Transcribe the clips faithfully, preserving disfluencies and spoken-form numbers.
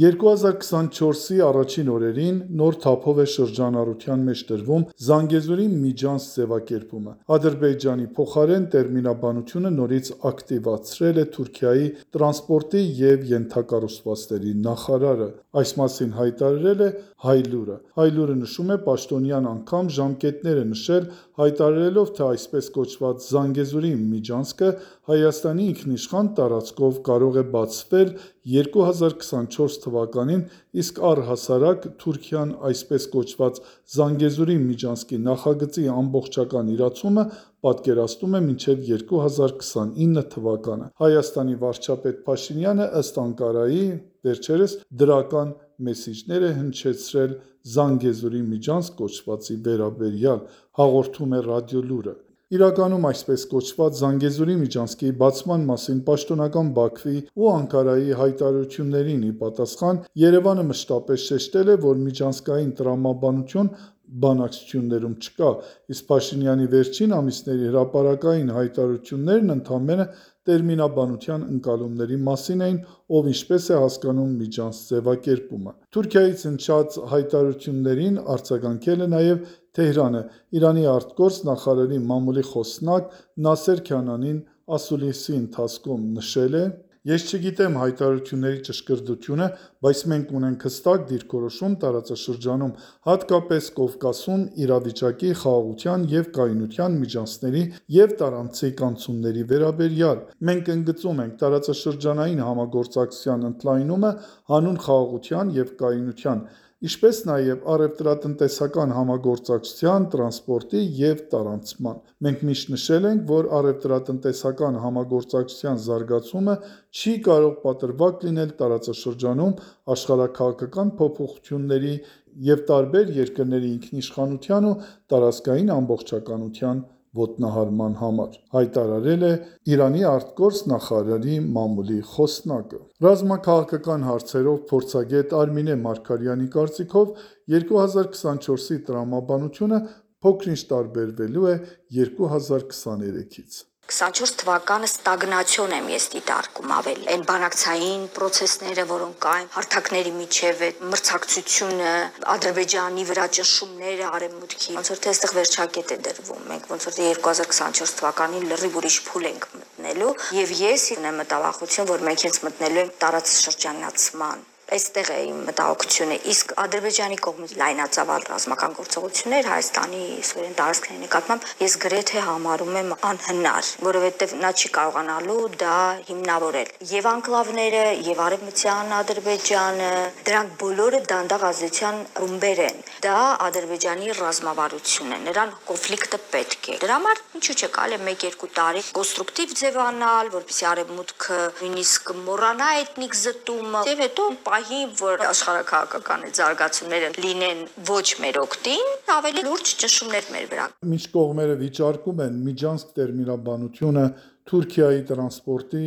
երկու հազար քսանչորսի առաջին օրերին նոր թափով է շրջանառության մեջ դրվում Զանգեզուրի միջանց ձևակերպումը։ Ադրբեջանի փոխարեն տերմինաբանությունը նորից ակտիվացրել է Թուրքիայի տրանսպորտի և ենթակառուցվածքների նախարարը։ Այս մասին հայտարարել է Հայլուրը։ Հայլուրը նշում է պաշտոնյան անգամ ժամկետներ է նշել, հայտարարելով, թե այսպես կոչված Զանգեզուրի միջանցքը Հայաստանի ինքնիշխան տարածքով կարող է բացվել երկու հազար քսանչորս թվականին, իսկ առհասարակ Թուրքիան այսպես կոչված Զանգեզուրի միջանցքի նախագծի ամբողջական իրացումը պատկերացնում է մինչև երկու հազար քսանինը թվականը։ Հայաստանի վարչապետ Փաշինյանը ըստ Անկարայի վերջերս դրական մեսիջներ է հնչեցրել Զանգեզուրի միջանցք կոչվածի վերաբերյալ, հաղորդում է Ռադիոլուրը։ Իրականում այսպես կոչված Զանգեզուրի միջանցքի բացման մասին պաշտոնական Բաքվի ու Անկարայի հայտարարություններին ի պատասխան Երևանը մշտապես շեշտել է, որ միջանցքային տրամաբանություն բանակցություններում չկա, իսկ Փաշինյանի վերջին ամիսների հրապարակային հայտարարություններն ընդամենը տերմինաբանության ընկալումների մասին էին, ով ինչպես է հասկանում միջանց ձևակերպումը։ Թուրքիայից հնչած հայտարարություններին արձագանքել է նաև Թեհրանը։ Իրանի ԱԳ նախարարի մամուլի խոսնակ Նասեր Քանանին ասուլիսի ընթացքում նշել է. «Ես չգիտեմ հայտարարությունների ճշգրտությունը, բայց մենք ունենք հստակ դիրքորոշում տարածաշրջանում, հատկապես Կովկասում իրավիճակի, խաղաղության և կայունության միջանցքների և տարանցիկ անցումների վերաբերյալ։ Մենք ընդգծում ենք տարածաշրջանային համագործակցության ընդլայնումը հանուն խաղաղության և կայունության, ինչպես նաև առևտրատնտեսական համագործակցության, տրանսպորտի և տարանցման։ Մենք միշտ նշել ենք, որ առևտրատնտեսական համագործակցության զարգացումը չի կարող պատրվակ լինել տարածաշրջանում աշխարհաքաղաքական փոփոխությունների և տարբեր երկրների ինքնիշխանության ու տարածքային ամբողջականության ոտնահարման համար», հայտարարել է Իրանի ԱԳ նախարարի մամուլի խոսնակը։ Ռազմաքաղաքական հարցերով փորձագետ Արմինե Մարգարյանի կարծիքով երկու հազար քսանչորսի տրամաբանությունը փոքր-ինչ տարբերվելու է երկու հազար քսաներեքից։ քսանչորս թվականը ստագնացիոն եմ ես դիտարկում ավելի։ Այն բանակցային պրոցեսները, որոնք կային, հարթակների միջև այդ մրցակցությունը, Ադրբեջանի վրա ճնշումները արևմուտքի, ոնց որ թե այստեղ վերջակետ է դրվում։ Մենք ոնց որ թե երկու հազար քսանչորս թվականին լրիվ ուրիշ փուլ ենք մտնելու, եւ ես ունեմ մտավախություն, որ մենք հենց մտնելու ենք տարածաշրջանացման։ Այստեղ է իմ մտահոգությունը, իսկ Ադրբեջանի կողմից լայնածավալ ռազմական գործողություններ Հայաստանի սովորեն տարածքների նկատմամբ ես գրեթե համարում եմ անհնար, որովհետև նա չի կարողանալու դա հիմնավորել։ Եվ անկլավները, եւ արևմտյան Ադրբեջանը, դրանք բոլորը դանդաղ ազդեցության ռումբեր են։ Դա Ադրբեջանի ռազմավարությունն է, նրան կոնֆլիկտը պետք է։ Դրա համար ինչու՞ չէ կարելի է մեկ-երկու տարի կոնստրուկտիվ ձևանալ, որպեսզի արևմուտքը նույնիսկ մոռանա էթնիկ զտումը, եւ հետո պահի, որ աշխարհաքաղաքական զարգացումները լինեն ոչ մեր օգտին, ավելի լուրջ ճնշումներ մեր վրա։ Մինչ կողմերը վիճարկում են միջանցք տերմինաբանությունը, Թուրքիայի տրանսպորտի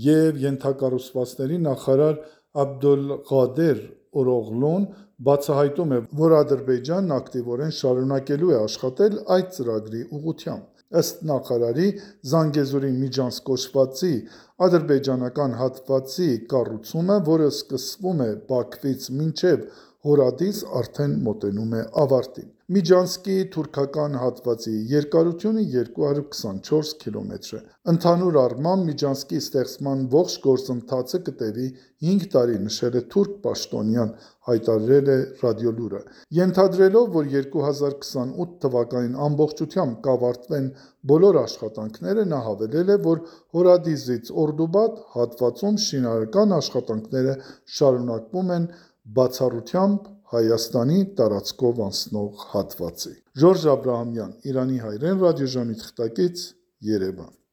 և ենթակառուցվածքների նախարար Աբդոլղադեր Օրողլուն բացահայտում է, որ Ադրբեջանն ակտիվորեն շարունակելու է աշխատել այդ ծրագրի ուղղությամբ։ Ըստ նախարարի, Զանգեզուրի միջանցք կոչվածի ադրբեջանական հատվածի կառուցումը, որը սկսվում է Բաքվից մինչև Հորադիս, արդեն մոտենում է ավարտին։ Միջանցքի թուրքական հատվածի երկարությունը երկու հարյուր քսանչորս կիլոմետր է։ Ընդհանուր առմամբ միջանցքի ստեղծման ողջ գործընթացը կտևի հինգ տարի, նշել է թուրք պաշտոնյան, հայտարարել է Ռադիոլուրը։ Ենթադրելով, որ երկու հազար քսանութ թվականին ամբողջությամբ կավարտվեն բոլոր աշխատանքները, նա հավելել է, որ Հորադիսից Օրդուբադ հատվածում շինարարական աշխատանքները շարունակվում են բացառությամբ Հայաստանի տարածքով անցնող հատվածի։ Ժորժ Աբրահամյան, Իրանի հայրեն ռադիոժամի թղթակից, Երևան։